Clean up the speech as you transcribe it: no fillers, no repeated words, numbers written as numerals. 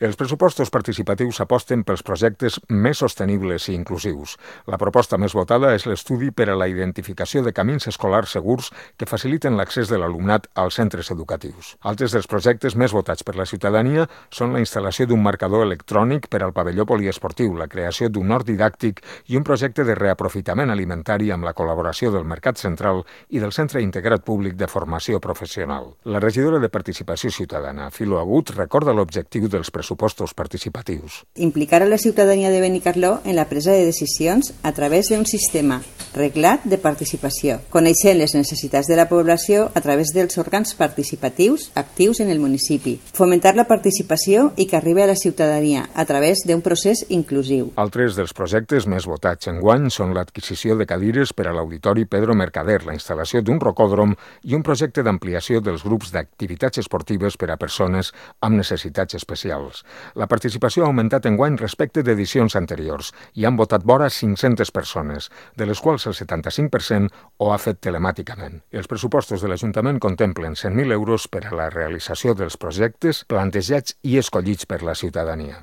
Els pressupostos participatius aposten pels projectes més sostenibles i inclusius. La proposta més votada és l'estudi per a la identificació de camins escolars segurs que faciliten l'accés de l'alumnat als centres educatius. Altres dels projectes més votats per la ciutadania són la instal·lació d'un marcador electrònic per al pavelló poliesportiu, la creació d'un hort didàctic i un projecte de reaprofitament alimentari amb la col·laboració del Mercat Central i del Centre Integrat Públic de Formació Professional. La regidora de Participació Ciutadana, Filo Agut, recorda l'objectiu dels pressupostos participatius. Implicar a la ciutadania de Benicarló en la presa de decisions a través d'un sistema reglat de participació, coneixent les necessitats de la població a través dels òrgans participatius actius en el municipi, fomentar la participació i que arribi a la ciutadania a través d'un procés inclusiu. Altres dels projectes més votats enguany són l'adquisició de cadires per a l'Auditori Pedro Mercader, la instal·lació d'un rocòdrom i un projecte d'ampliació dels grups d'activitats esportives per a persones amb necessitats especials. La participació ha augmentat enguany respecte d'edicions anteriors i han votat vora 500 persones, de les quals el 75% ho ha fet telemàticament. Els pressupostos de l'Ajuntament contemplen 100.000 euros per a la realització dels projectes plantejats i escollits per la ciutadania.